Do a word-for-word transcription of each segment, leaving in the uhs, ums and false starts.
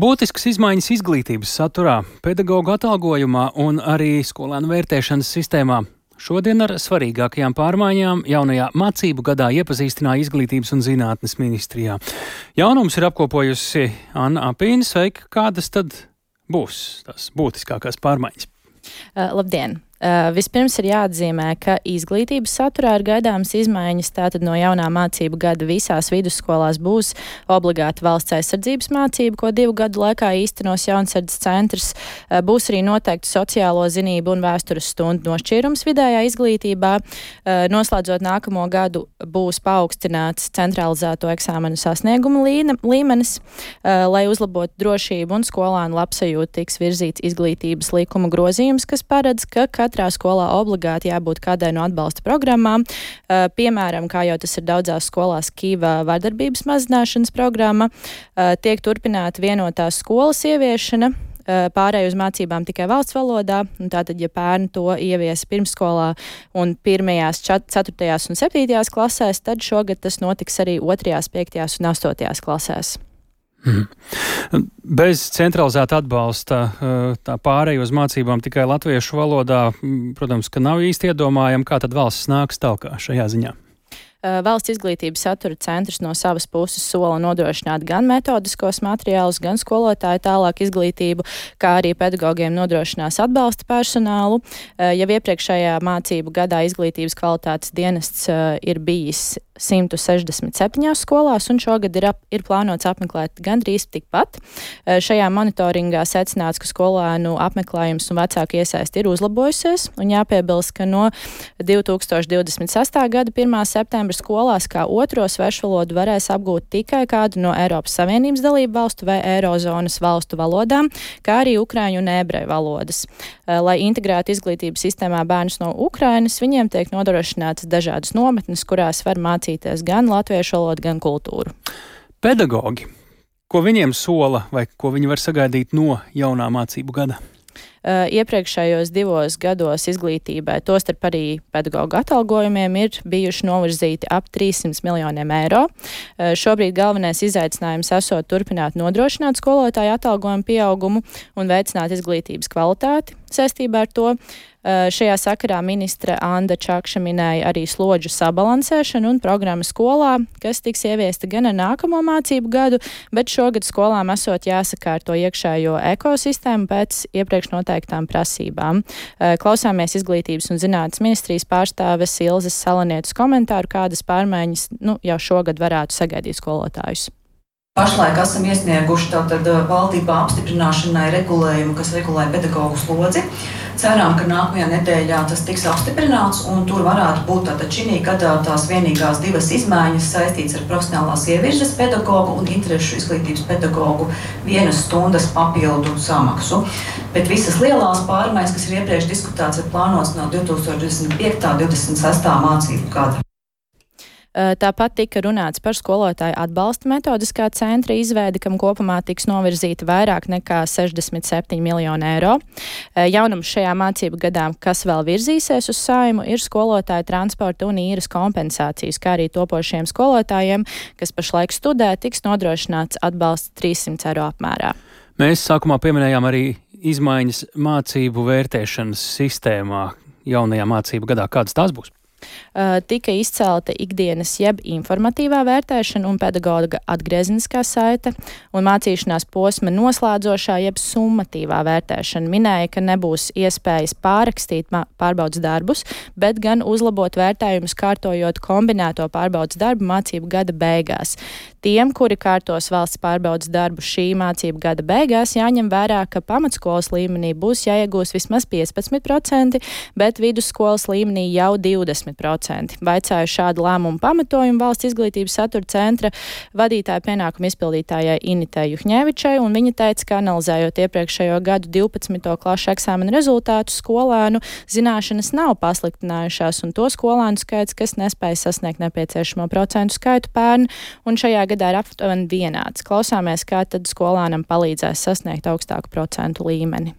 Būtiskas izmaiņas izglītības saturā, pedagoģu atalgojumā un arī skolēnu vērtēšanas sistēmā. Šodien ar svarīgākajām pārmaiņām jaunajā mācību gadā iepazīstināja Izglītības un zinātnes ministrijā. Jaunums ir apkopojusi Anna Apīne. Sveika, kādas tad būs tās būtiskākās pārmaiņas? Uh, labdien! Uh, vispirms ir jāatzīmē, ka izglītības saturā ir gaidāmas izmaiņas. Tātad no jaunā mācību gada visās vidusskolās būs obligāta valsts aizsardzības mācība, ko divu gadu laikā īstenos Jaunsardzes centrs. Uh, būs arī noteikti sociālo zinību un vēstures stundu nošķīrums vidējā izglītībā. Uh, noslēdzot nākamo gadu būs paaugstināts centralizēto eksāmenu sasniegumu līmenis, uh, lai uzlabotu drošību un skolānu labsajūtu tiks virzīts izglītības likuma grozījums, kas paredz, ka katrā skolā obligāti jābūt kādai no atbalsta programmām. Uh, piemēram, kā jau tas ir daudzās skolās, Kīva vardarbības mazināšanas programma, uh, tiek turpināta vienotās skolas ieviešana, uh, pārēj uz mācībām tikai valsts valodā. Tātad, ja bērni to ievies pirmsskolā un pirmajās, ceturtajās un septītajās klasēs, tad šogad tas notiks arī otrajās, piektajās un astotajās klasēs. Mhm. Bez centralizēta atbalsta tā pārēj uz mācībām tikai latviešu valodā, protams, ka nav īsti iedomājami, kā tad valsts nāks tālāk šajā ziņā. Valsts izglītības satura centrs no savas puses sola nodrošināt gan metodiskos materiālus, gan skolotāju tālāk izglītību, kā arī pedagogiem nodrošinās atbalsta personālu. Jau iepriekšējā mācību gadā izglītības kvalitātes dienests ir bijis simt sešdesmit septiņās skolās, un šogad ir, ap, ir plānots apmeklēt gandrīz tikpat. Šajā monitoringā secināts, ka skolēnu apmeklējums un vecāku iesaisti ir uzlabojusies, un jāpiebilst, ka no divi tūkstoši divdesmit sestā gada pirmā septembra skolās kā otro svešvalodu varēs apgūt tikai kādu no Eiropas Savienības dalību valstu vai Eirozonas valstu valodām, kā arī ukraiņu un ebreju valodas. Lai integrētu izglītības sistēmā bērnus no Ukrainas, viņiem tiek nodrošinātas dažādas nometnes, kurās var mācīties gan latviešu valodu, gan kultūru. Pedagogi, ko viņiem sola vai ko viņi var sagaidīt no jaunā mācību gada? Uh, iepriekšējos divos gados izglītībai, tostarp arī pedagoģu atalgojumiem, ir bijuši novirzīti ap trīssimt miljoniem eiro. Uh, šobrīd galvenais izaicinājums esot turpināt nodrošināt skolotāju atalgojumu pieaugumu un veicināt izglītības kvalitāti. Saistībā ar to uh, šajā sakarā ministre Anda Čakša minēja arī slodžu sabalansēšanu un programmu skolā, kas tiks ieviesta gan ar nākamo mācību gadu, bet šogad skolām esot jāsakārto iekšējo ekosistēmu pēc iepriekš noteiktām prasībām. Uh, klausāmies Izglītības un zinātnes ministrijas pārstāves Ilzes Salanietes komentāru, kādas pārmaiņas nu, jau šogad varētu sagaidīt skolotājus. Pašlaik esam iesnieguši tātad valdībā apstiprināšanai regulējumu, kas regulē pedagoģu slodzi. Ceram, ka nākamajā nedēļā tas tiks apstiprināts, un tur varētu būt tātad šī gadā tās vienīgās divas izmaiņas saistītas ar profesionālās ievirzes pedagogu un interešu izglītības pedagogu vienas stundas papildu samaksu. Bet visas lielās pārmaiņas, kas ir iepriekš diskutēts, ir plānotas no divi tūkstoši divdesmit piekta un divdesmit sestā mācību gada. Tāpat tika runāts par skolotāju atbalsta metodiskā centra izveidi, kam kopumā tiks novirzīti vairāk nekā sešdesmit septiņi miljoni eiro. Jaunums šajā mācību gadā, kas vēl virzīsies uz Saeimu, ir skolotāju transporta un īres kompensācijas, kā arī topošiem skolotājiem, kas pašlaik studē, tiks nodrošināts atbalsts trīssimt eiro apmērā. Mēs sākumā pieminējām arī izmaiņas mācību vērtēšanas sistēmā jaunajā mācību gadā. Kādas tās būs? Uh, tika izcelta ikdienas jeb informatīvā vērtēšana un pedagoga atgriezeniskā saite un mācīšanās posma noslēdzošā jeb summatīvā vērtēšana. Minēja, ka nebūs iespējas pārrakstīt pārbaudas darbus, bet gan uzlabot vērtējumus, kārtojot kombinēto pārbaudas darbu mācību gada beigās. Tiem, kuri kārtos valsts pārbaudas darbu šī mācību gada beigās, jāņem vērā, ka pamatskolas līmenī būs jāiegūst vismaz piecpadsmit procenti, bet vidusskolas līmenī jau divdesmit procenti. Vaicāju šādu lēmumu pamatojumu valsts izglītības satura centra vadītāja pienākumu izpildītājai Initei Juhņevičai, un viņa teica, ka analizējot iepriekšējo gadu divpadsmito klašu eksāmenu rezultātus, skolēnu zināšanas nav pasliktinājušās, un to skolēnu skaits, kas nespēja sasniegt nepieciešamo procentu skaitu pērn, un šajā gadā ir aptuveni vienāds. Klausāmies, kā tad skolēnam palīdzēs sasniegt augstāku procentu līmeni.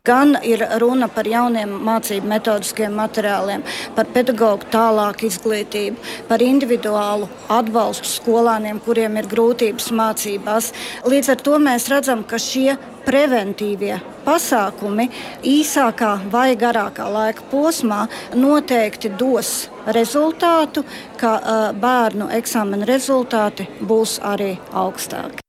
Gan ir runa par jauniem mācību metodiskiem materiāliem, par pedagoģu tālāku izglītību, par individuālu atbalstu skolāniem, kuriem ir grūtības mācībās. Līdz ar to mēs redzam, ka šie preventīvie pasākumi īsākā vai garākā laika posmā noteikti dos rezultātu, ka uh, bērnu eksāmena rezultāti būs arī augstāki.